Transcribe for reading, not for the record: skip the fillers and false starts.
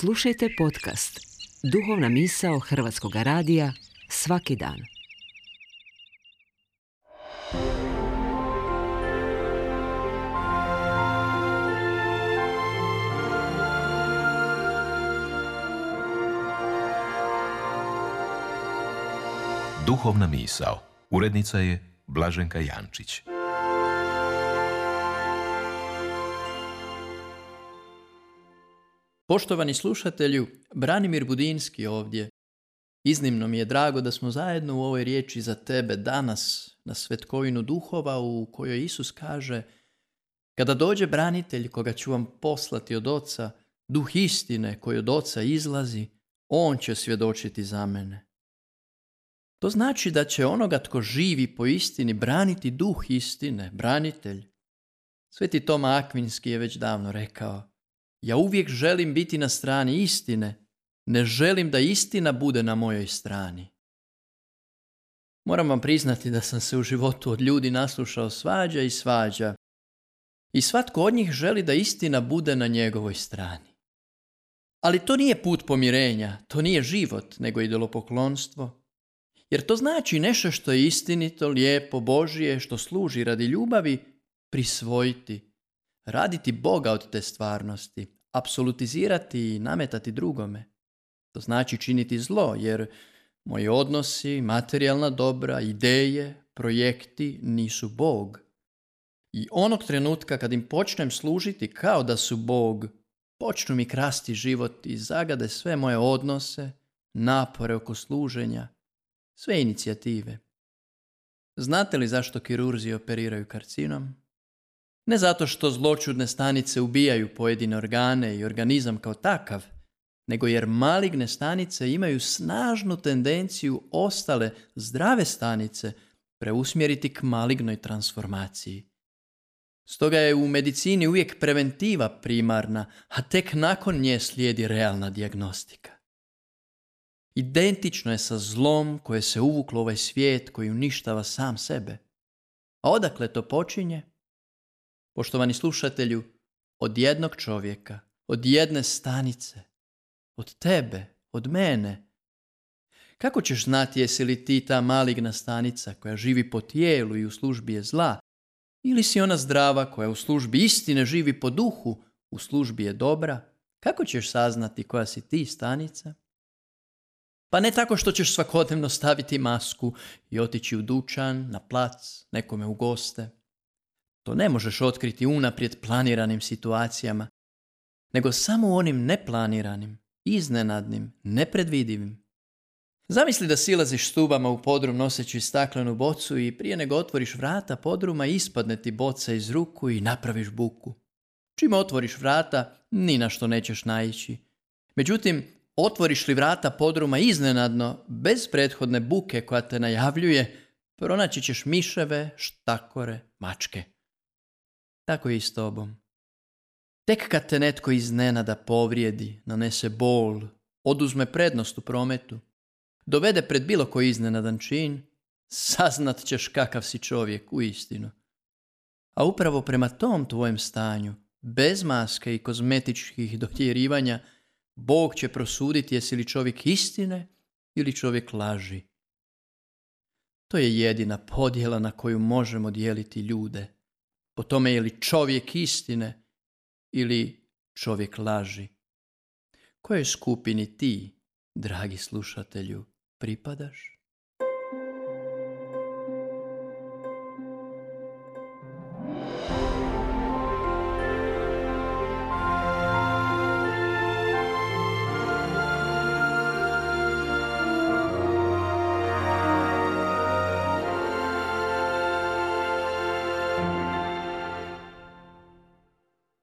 Slušajte podcast Duhovna misao Hrvatskog radija svaki dan. Duhovna misao. Urednica je Blaženka Jančić. Poštovani slušatelju, Branimir Budinski ovdje. Iznimno mi je drago da smo zajedno u ovoj riječi za tebe danas na Svetkovinu duhova u kojoj Isus kaže: kada dođe branitelj koga ću vam poslati od Oca, duh istine koji od Oca izlazi, on će svjedočiti za mene. To znači da će onoga tko živi po istini braniti duh istine, branitelj. Sveti Toma Akvinski je već davno rekao: ja uvijek želim biti na strani istine, ne želim da istina bude na mojoj strani. Moram vam priznati da sam se u životu od ljudi naslušao svađa i svađa. I svatko od njih želi da istina bude na njegovoj strani. Ali to nije put pomirenja, to nije život, nego idolopoklonstvo. Jer to znači nešto što je istinito, lijepo, Božje, što služi radi ljubavi, prisvojiti. Raditi Boga od te stvarnosti, apsolutizirati i nametati drugome. To znači činiti zlo, jer moji odnosi, materijalna dobra, ideje, projekti nisu Bog. I onog trenutka kad im počnem služiti kao da su Bog, počnu mi krasti život i zagade sve moje odnose, napore oko služenja, sve inicijative. Znate li zašto kirurzi operiraju karcinom? Ne zato što zloćudne stanice ubijaju pojedine organe i organizam kao takav, nego jer maligne stanice imaju snažnu tendenciju ostale zdrave stanice preusmjeriti k malignoj transformaciji. Stoga je u medicini uvijek preventiva primarna, a tek nakon nje slijedi realna dijagnostika. Identično je sa zlom koje se uvuklo u ovaj svijet koji uništava sam sebe. A odakle to počinje? Poštovani slušatelju, od jednog čovjeka, od jedne stanice, od tebe, od mene. Kako ćeš znati jesi li ti ta maligna stanica koja živi po tijelu i u službi je zla, ili si ona zdrava koja u službi istine živi po duhu, u službi je dobra? Kako ćeš saznati koja si ti stanica? Pa ne tako što ćeš svakodnevno staviti masku i otići u dućan, na plac, nekome u goste. To ne možeš otkriti unaprijed planiranim situacijama, nego samo u onim neplaniranim, iznenadnim, nepredvidivim. Zamisli da silaziš stubama u podrum noseći staklenu bocu i prije nego otvoriš vrata podruma ispadne ti boca iz ruku i napraviš buku. Čim otvoriš vrata, ni na što nećeš naići. Međutim, otvoriš li vrata podruma iznenadno, bez prethodne buke koja te najavljuje, pronaći ćeš miševe, štakore, mačke. Tako je i s tobom. Tek kad te netko iznenada povrijedi, nanese bol, oduzme prednost u prometu, dovede pred bilo koji iznenadan čin, saznat ćeš kakav si čovjek u istinu. A upravo prema tom tvojem stanju, bez maske i kozmetičkih dotjerivanja, Bog će prosuditi jesi li čovjek istine ili čovjek laži. To je jedina podjela na koju možemo dijeliti ljude. Po tome je li čovjek istine ili čovjek laži. Kojoj skupini ti, dragi slušatelju, pripadaš?